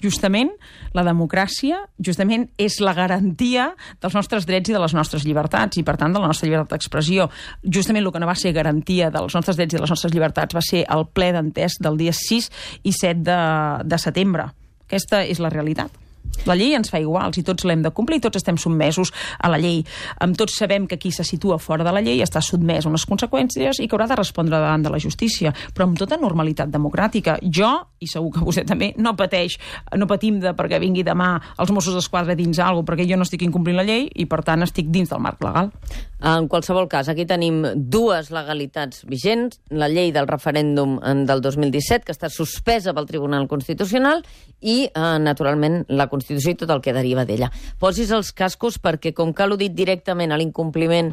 justament la democràcia justament és la garantia dels nostres drets i de les nostres llibertats i, per tant, de la nostra llibertat d'expressió. Justament el que no va ser garantia dels nostres drets i de les nostres llibertats va ser el ple d'entès del dia 6 i 7 de setembre. Aquesta és la realitat. La llei ens fa iguals i tots l'hem de complir, tots estem sotmesos a la llei. Tots sabem que qui se situa fora de la llei està sotmès a unes conseqüències i que haurà de respondre davant de la justícia, però amb tota normalitat democràtica. Jo, i segur que vostè també, no patim perquè vingui demà els Mossos d'Esquadra dins alguna cosa, perquè jo no estic incomplint la llei i, per tant, estic dins del marc legal. En qualsevol cas, aquí tenim dues legalitats vigents, la llei del referèndum del 2017, que està suspesa pel Tribunal Constitucional, i, naturalment, la Constitució i tot el que deriva d'ella. Posis els cascos perquè, com que l'ho dit directament a l'incompliment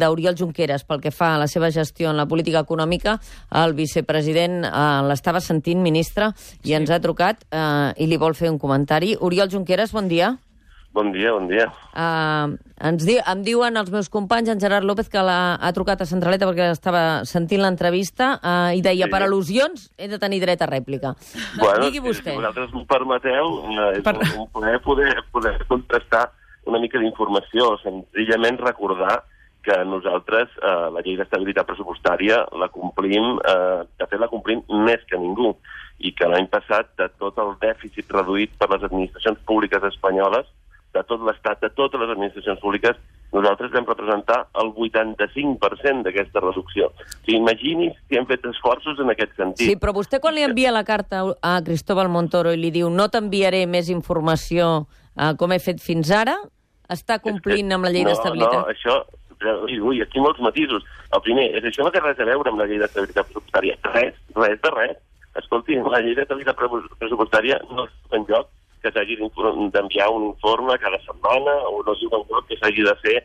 d'Oriol Junqueras pel que fa a la seva gestió en la política econòmica, el vicepresident l'estava sentint, ministre, i ens ha trucat i li vol fer un comentari. Oriol Junqueras, bon dia. Bon dia, bon dia. Em diuen els meus companys, en Gerard López, que ha trucat a Centraleta perquè estava sentint l'entrevista i deia, per al·lusions he de tenir dret a rèplica. Digui vostè. Si vosaltres m'ho permeteu, és un plaer poder contestar una mica d'informació, senzillament recordar que nosaltres la llei d'estabilitat pressupostària la complim, de fet la complim més que ningú, i que l'any passat de tot el dèficit reduït per les administracions públiques espanyoles, de tot l'Estat, de totes les administracions públiques, nosaltres vam representar el 85% d'aquesta reducció. O sigui, imagini's si hem fet esforços en aquest sentit. Sí, però vostè quan li envia la carta a Cristóbal Montoro i li diu no t'enviaré més informació com he fet fins ara, està complint amb la llei d'estabilitat? No, això... Ui, aquí molts matisos. El primer, això no té res a veure amb la llei d'estabilitat pressupostària. Res de res. Escolti, la llei d'estabilitat pressupostària no és en lloc que s'hagi d'enviar un informe cada setmana o no diu en lloc que s'hagi de fer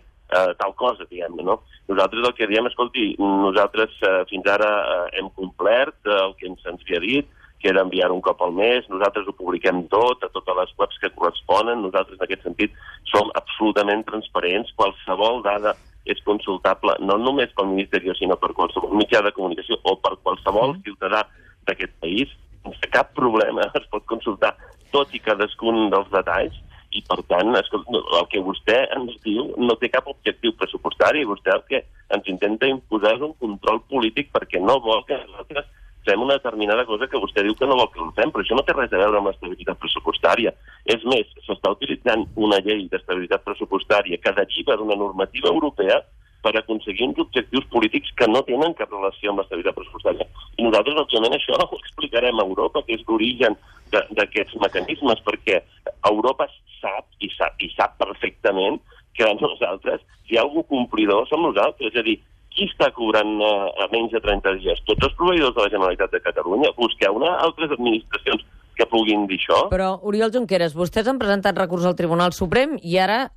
tal cosa, diguem-ne, no? Nosaltres el que diem, escolti, nosaltres fins ara hem complert el que se'ns havia dit, que era enviar un cop al mes, nosaltres ho publiquem tot, a totes les webs que corresponen, nosaltres en aquest sentit som absolutament transparents, qualsevol dada és consultable, no només pel Ministeri, sinó per qualsevol mitjà de comunicació o per qualsevol ciutadà d'aquest país, sense cap problema es pot consultar tot i cadascun dels detalls, i per tant, el que vostè ens diu no té cap objectiu pressupostari, vostè el que ens intenta imposar és un control polític perquè no vol que nosaltres fem una determinada cosa que vostè diu que no vol que ho fem, però això no té res a veure amb l'estabilitat pressupostària. És més, s'està utilitzant una llei d'estabilitat pressupostària que deriva d'una normativa europea per aconseguir uns objectius polítics que no tenen cap relació amb l'estabilitat pressupostària. I nosaltres, òbviament, això ho explicarem a Europa, que és l'origen d'aquests mecanismes, perquè Europa sap perfectament que nosaltres, si hi ha algú complidor, som nosaltres. És a dir, qui està cobrant a menys de 30 dies? Tots els proveïdors de la Generalitat de Catalunya. Busqueu altres administracions que puguin dir això. Però, Oriol Junqueras, vostès han presentat recurs al Tribunal Suprem i ara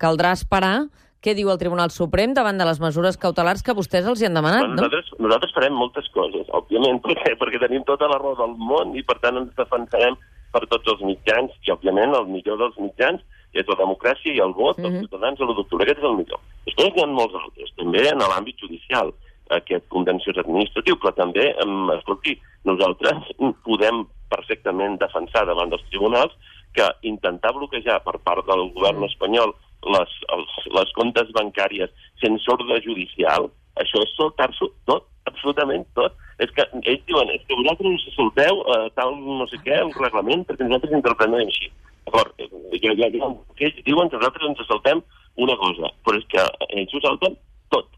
caldrà esperar què diu el Tribunal Suprem davant de les mesures cautelars que vostès els hi han demanat, no? Nosaltres farem moltes coses, òbviament, perquè tenim tota la raó del món i, per tant, ens defensarem per tots els mitjans i, òbviament, el millor dels mitjans és la democràcia i el vot dels ciutadans a l'1 d'octubre. Aquest és el millor. Després n'hi ha molts altres, també en l'àmbit judicial, aquest contenciós administratiu, però també, escolti, nosaltres podem perfectament defensar davant dels tribunals que intentar bloquejar per part del govern espanyol les comptes bancàries sense ordre judicial, això és saltar-s'ho tot, absolutament tot. És que ells diuen, és que vosaltres us salteu tal no sé què, el reglament, perquè nosaltres interpretem així. D'acord, ells diuen que nosaltres ens saltem una cosa, però és que ells ho salten tot.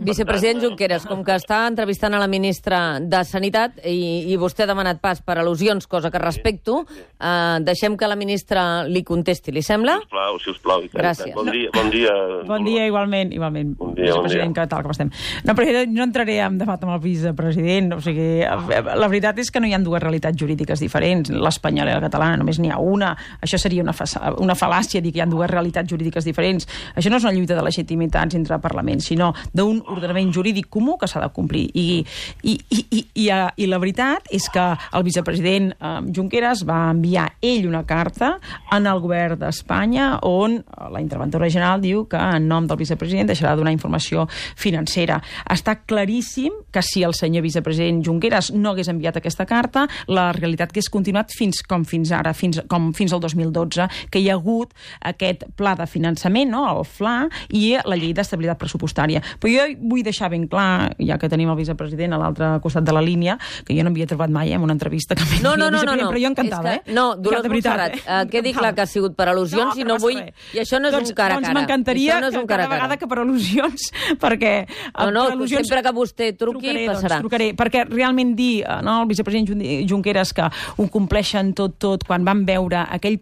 Vicepresident Junqueras, com que està entrevistant a la ministra de Sanitat i vostè ha demanat pas per al·lusions, cosa que respecto, deixem que la ministra li contesti, li sembla? Sisplau. Gràcies. Bon dia. Bon dia, igualment. Bon dia. Vicepresident, que tal com estem? No, però no entraré en debat amb el vicepresident, o sigui, la veritat és que no hi ha dues realitats jurídiques diferents, l'espanyola i la catalana, només n'hi ha una. Això seria una fal·làcia dir que hi ha dues realitats jurídiques diferents. Això no és una lluita de legitimitats entre parlaments, sinó d'un ordenament jurídic comú que s'ha de complir. I la veritat és que el vicepresident Junqueras va enviar ell una carta en el govern d'Espanya on la interventora general diu que en nom del vicepresident deixarà de donar informació financera. Està claríssim que si el senyor vicepresident Junqueras no hagués enviat aquesta carta, la realitat que és continuat fins ara, com fins al 2012, que hi ha hagut aquest pla de finançament, no? El FLA, i la llei d'estabilitat pressupostària. Però jo vull deixar ben clar, ja que tenim el vicepresident a l'altre costat de la línia, que jo no havia trobat mai en una entrevista que no. però jo encantada, No, Dolors Montserrat, quedi clar que ha sigut per al·lusions i no vull... I això no és un cara a cara. Doncs m'encantaria que cada vegada que per al·lusions, perquè... Sempre que vostè truqui passarà. Trucaré, perquè realment dir el vicepresident Junqueras que ho compleixen tot quan van veure aquell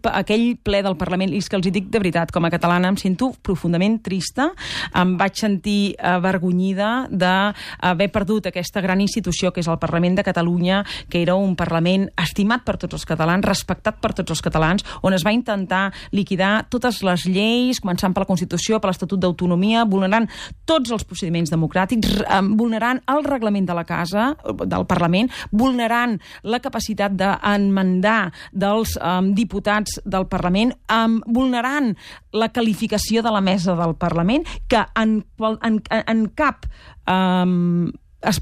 ple del Parlament, i és que els hi dic de veritat, com a catalana em sento profundament trista, em vaig sentir avergonyida d'haver perdut aquesta gran institució que és el Parlament de Catalunya, que era un Parlament estimat per tots els catalans, respectat per tots els catalans, on es va intentar liquidar totes les lleis, començant per la Constitució, per l'Estatut d'Autonomia, vulnerant tots els procediments democràtics, vulnerant el reglament de la Casa, del Parlament, vulnerant la capacitat d'enmendar dels diputats del Parlament, vulnerant la qualificació de la mesa del Parlament, que en cap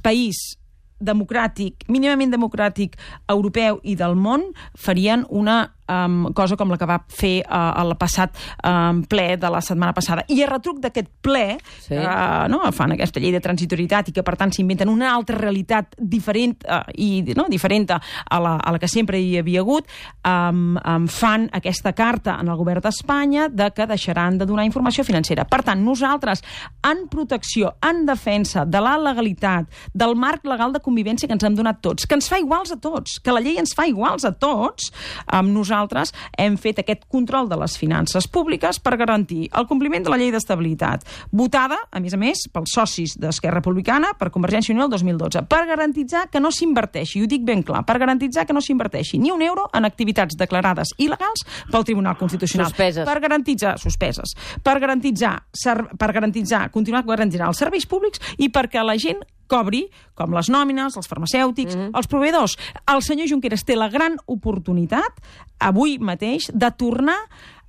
país democràtic, mínimament democràtic, europeu i del món, farien una cosa com la que va fer el passat ple de la setmana passada. I a retruc d'aquest ple, fan aquesta llei de transitorietat i que, per tant, s'inventen una altra realitat diferent a la que sempre hi havia hagut, fan aquesta carta en el govern d'Espanya de que deixaran de donar informació financera. Per tant, nosaltres, en protecció, en defensa de la legalitat, del marc legal de convivència que ens hem donat tots, que ens fa iguals a tots, que la llei ens fa iguals a tots, nosaltres hem fet aquest control de les finances públiques per garantir el compliment de la llei d'estabilitat, votada, a més, pels socis d'Esquerra Republicana, per Convergència i Unió el 2012, per garantitzar que no s'inverteixi, i ho dic ben clar, per garantitzar que no s'inverteixi ni un euro en activitats declarades il·legals pel Tribunal Constitucional. Suspeses. Per garantitzar, continuar garantint els serveis públics i perquè la gent cobri, com les nòmines, els farmacèutics, els proveïdors. El senyor Junqueras té la gran oportunitat, avui mateix, de tornar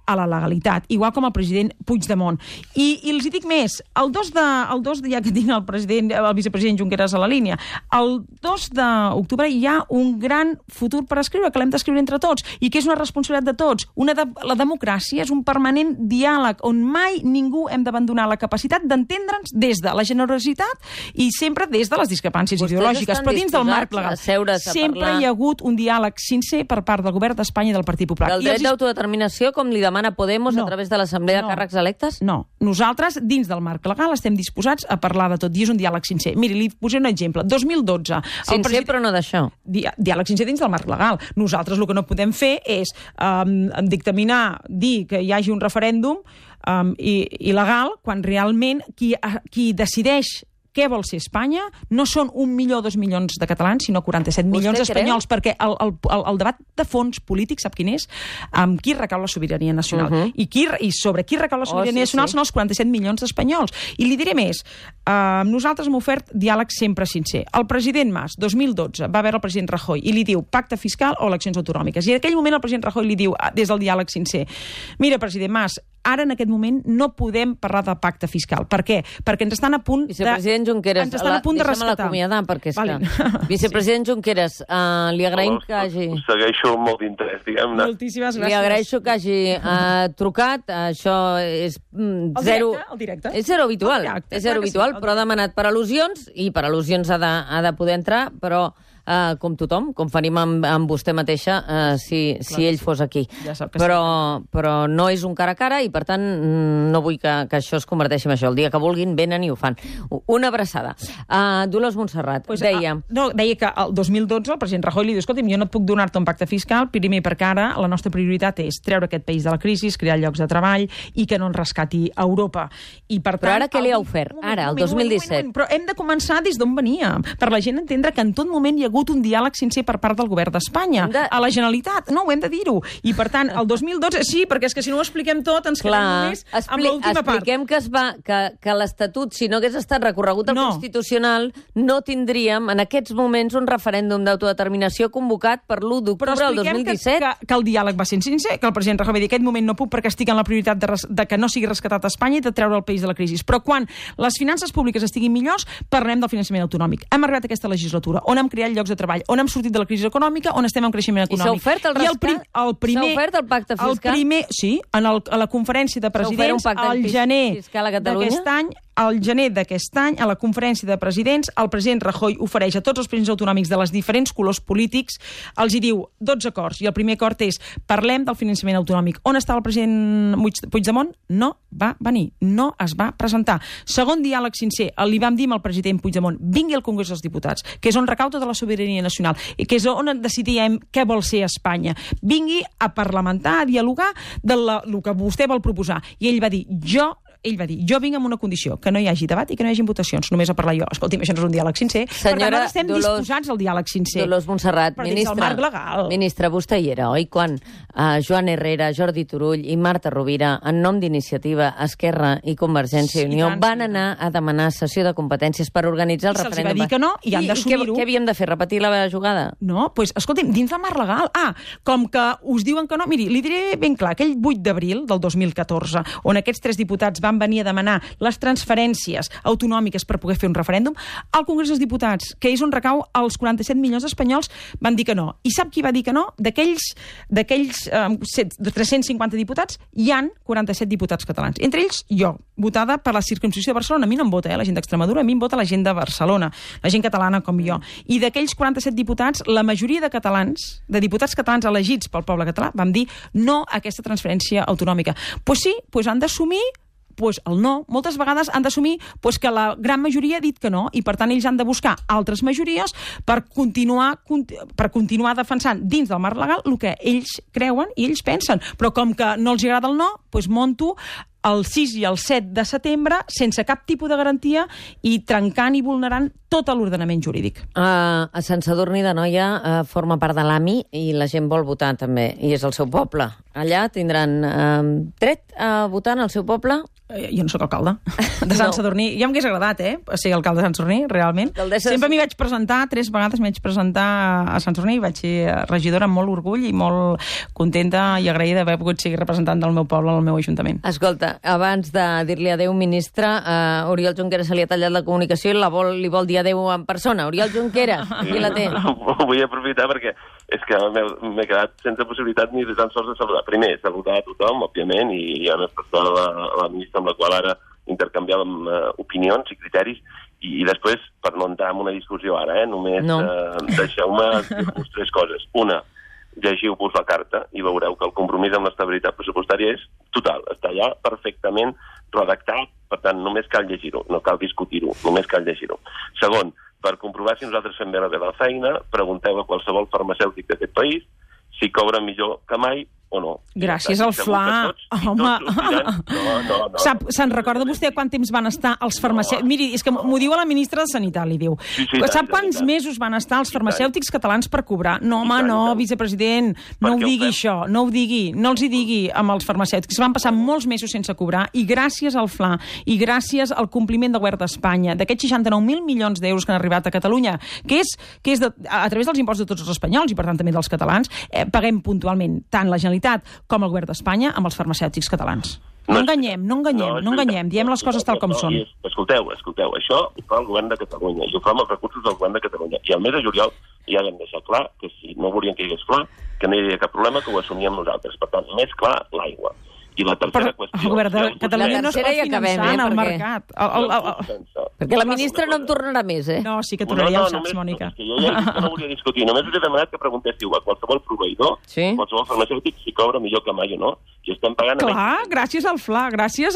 a la legalitat, igual com el president Puigdemont. I els hi dic més, ja que tinc el vicepresident Junqueras a la línia, el 2 d'octubre hi ha un gran futur per escriure, que l'hem d'escriure entre tots, i que és una responsabilitat de tots. La democràcia és un permanent diàleg on mai ningú hem d'abandonar la capacitat d'entendre'ns des de la generositat i sempre des de les discrepàncies ideològiques, però dins del marc legal. Sempre hi ha hagut un diàleg sincer per part del govern d'Espanya i del Partit Popular. Del dret d'autodeterminació, com li demana Podemos a través de l'Assemblea de Càrrecs Electes? No. Nosaltres, dins del marc legal, estem disposats a parlar de tot, i és un diàleg sincer. Miri, li posaré un exemple. 2012... Sincer, però no d'això. Diàleg sincer dins del marc legal. Nosaltres el que no podem fer és dictaminar, dir que hi hagi un referèndum il·legal, quan realment qui decideix què vol ser Espanya no són 1 milió o 2 milions de catalans, sinó 47 milions d'espanyols, perquè el debat de fons polític, sap quin és? Amb qui recau la sobirania nacional. I sobre qui recau la sobirania nacional són els 47 milions d'espanyols. I li diré més, nosaltres hem ofert diàleg sempre sincer. El president Mas, 2012, va veure el president Rajoy i li diu pacte fiscal o eleccions autonòmiques. I en aquell moment el president Rajoy li diu, des del diàleg sincer, mira, president Mas, ara en aquest moment no podem parlar de pacte fiscal. Per què? Perquè ens estan a punt de... Vicepresident Junqueras, deixa'm l'acomiadar, perquè és que... Vicepresident Junqueras, li agraïm que hagi... Segueixo molt d'interès, diguem-ne. Moltíssimes gràcies. Li agraeixo que hagi trucat, això és zero... El directe. És zero habitual, però ha demanat per al·lusions, i per al·lusions ha de poder entrar, però... com tothom, com faríem amb vostè mateixa si ell fos aquí. Però no és un cara a cara i, per tant, no vull que això es converteixi en això. El dia que vulguin, venen i ho fan. Una abraçada. Dolors Montserrat, deia... Deia que el 2012 el president Rajoy li diu, escolta'm, jo no et puc donar-te un pacte fiscal, primer perquè ara la nostra prioritat és treure aquest país de la crisi, crear llocs de treball i que no ens rescati Europa. Però ara què li ha ofert? Ara, el 2017. Però hem de començar des d'on veníem, per la gent entendre que en tot moment hi ha hagut un diàleg sincer per part del govern d'Espanya a la Generalitat. No, ho hem de dir-ho. I, per tant, el 2012... Sí, perquè és que si no ho expliquem tot ens quedem només amb l'última part. Expliquem que l'Estatut, si no hagués estat recorregut al Constitucional, no tindríem en aquests moments un referèndum d'autodeterminació convocat per l'1 d'octubre del 2017. Però expliquem que el diàleg va ser sincer, que el president Rajoy va dir: aquest moment no puc perquè estic en la prioritat de que no sigui rescatat a Espanya i de treure el país de la crisi. Però quan les finances públiques estiguin millors, parlem del finançament autonòmic. Hem arribat a aquesta legislatura, on hem creat llocs de treball, on hem sortit de la crisi econòmica, on estem en creixement econòmic. I s'ha ofert el rescat? S'ha ofert el pacte fiscal? Sí, a la conferència de presidents al gener d'aquest any, a la conferència de presidents, el president Rajoy ofereix a tots els presidents autonòmics de les diferents colors polítics, els hi diu 12 acords, i el primer acord és: parlem del finançament autonòmic. On està el president Puigdemont? No va venir, no es va presentar. Segon diàleg sincer, li vam dir al president Puigdemont: vingui al Congrés dels Diputats, que és on recau tota la sobirania nacional, i que és on decidíem què vol ser Espanya. Vingui a parlamentar, a dialogar del que vostè vol proposar. I ell va dir: jo vinc amb una condició, que no hi hagi debat i que no hi hagi votacions, només a parlar jo. Escolti'm, això no és un diàleg sincer. Senyora, per tant, estem disposats al diàleg sincer. Dolors Montserrat, ministra, vostè hi era, oi? Quan Joan Herrera, Jordi Turull i Marta Rovira, en nom d'Iniciativa, Esquerra i Convergència i Unió, van anar a demanar cessió de competències per organitzar el referèndum. Se'ls va dir que no i han d'assumir-ho. Què havíem de fer? Repetir la jugada? No, doncs, escolti'm, dins del marc legal. Com que us diuen que no, miri, li diré ben clar, aquell 8 d'abril del 2014, on aquests 3 diputats van venir a demanar les transferències autonòmiques per poder fer un referèndum, al Congrés dels Diputats, que és on recau els 47 milions espanyols, van dir que no. I sap qui va dir que no? D'aquells 350 diputats, hi han 47 diputats catalans. Entre ells, jo, votada per la circumscripció de Barcelona. A mi no em vota, la gent d'Extremadura, a mi em vota la gent de Barcelona, la gent catalana com jo. I d'aquells 47 diputats, la majoria de catalans, de diputats catalans elegits pel poble català, vam dir no a aquesta transferència autonòmica. Doncs sí, han d'assumir el no. Moltes vegades han d'assumir que la gran majoria ha dit que no, i per tant ells han de buscar altres majories per continuar defensant dins del marc legal el que ells creuen i ells pensen. Però com que no els agrada el no, monto el 6 i el 7 de setembre sense cap tipus de garantia i trencant i vulnerant tot l'ordenament jurídic. A Sant Sadurní d'Anoia forma part de l'AMI i la gent vol votar també, i és el seu poble. Allà tindran dret a votar en el seu poble? Jo no sóc alcalde de Sant Sadurní. Ja m'hagués agradat, ser alcalde de Sant Sadurní, realment. Sempre m'hi vaig presentar, 3 vegades m'hi vaig presentar a Sant Sadurní, i vaig ser regidora amb molt orgull i molt contenta i agraïda d'haver pogut ser representant del meu poble al meu ajuntament. Escolta, abans de dir-li adéu, ministre, Oriol Junqueras se li ha tallat la comunicació i li vol dir adéu en persona. Oriol Junqueras, qui la té? Vull aprofitar perquè és que m'he quedat sense possibilitat ni tan sols de saludar. Primer, saludar a tothom, òbviament, i en especial a la ministra amb la qual ara intercanviàvem opinions i criteris, i després, per no entrar en una discussió ara, només deixeu-me dir-vos 3 coses. Una, llegiu-vos la carta i veureu que el compromís amb l'estabilitat pressupostària és total, està allà perfectament redactat, per tant, només cal llegir-ho, no cal discutir-ho, només cal llegir-ho. Segon, per comprovar si nosaltres fem bé la feina, pregunteu a qualsevol farmacèutic d'aquest país si cobra millor que mai o no. Gràcies al FLA. Home, se'n recorda vostè quant temps van estar els farmacèutics? Miri, és que m'ho diu a la ministra de Sanitat, li diu. Sap quants mesos van estar els farmacèutics catalans per cobrar? No, home, no, vicepresident, no ho digui això, no ho digui, no els hi digui amb els farmacèutics. Van passar molts mesos sense cobrar, i gràcies al FLA, i gràcies al compliment del govern d'Espanya, d'aquests 69.000 milions d'euros que han arribat a Catalunya, que és a través dels impostos de tots els espanyols, i per tant també dels catalans, paguem puntualment tant la Generalitat com el govern d'Espanya amb els farmacèutics catalans. No enganyem, diem les coses tal com són. Escolteu, això ho fa el govern de Catalunya, i ho fa amb els recursos del govern de Catalunya. I el mes de juliol ja vam deixar clar que si no volien que hi hagués FLA, que no hi havia cap problema, que ho assumíem nosaltres. Per tant, més clar, l'aigua. I la tercera qüestió... El govern de Catalunya no es pot finançar en el mercat. Perquè la ministra no em tornarà més, No, sí que tornaria, ho saps, Mònica. Jo ja he dit que no volia discutir. Només us he demanat que preguntéssiu a qualsevol proveïdor Sí. Qualsevol farmacèutic s'hi cobra millor que mai o no. I estem pagant... Clar, gràcies al FLA, gràcies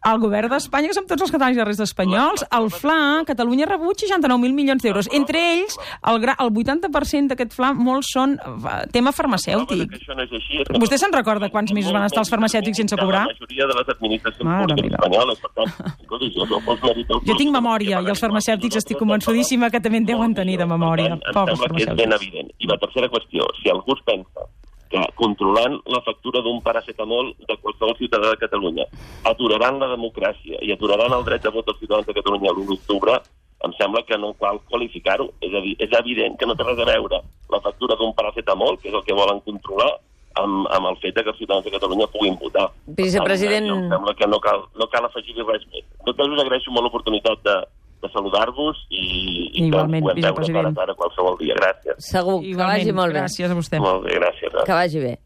al govern d'Espanya, que som tots els catalans i la resta espanyols. El FLA, Catalunya ha rebut 69.000 milions d'euros. Entre ells, el 80% d'aquest FLA, molts són tema farmacèutic. Vostè se'n recorda quants mesos van estar els farmacèutics sense cobrar? La majoria de les administracions públiques espanyoles, per tant... Jo tinc memòria, i els farmacèutics estic convençudíssima que també en deuen tenir de memòria. Pobres farmacèutics. És ben evident. I la tercera qüestió, si algú es pensa que controlant la factura d'un paracetamol de qualsevol ciutadà de Catalunya aturaran la democràcia i aturaran el dret de vot dels ciutadans de Catalunya l'1 d'octubre, em sembla que no cal qualificar-ho. És a dir, és evident que no té res a veure la factura d'un paracetamol, que és el que volen controlar, amb el fet que els ciutadans de Catalunya puguin votar. Vicepresident... Em sembla que no cal afegir-hi res més. En tot cas, us agraeixo molt l'oportunitat de saludar-vos i igualment, que ens puguem veure cara a cara qualsevol dia. Gràcies. Segur, que vagi molt bé. Gràcies a vostè. Molt bé, gràcies. Que vagi bé.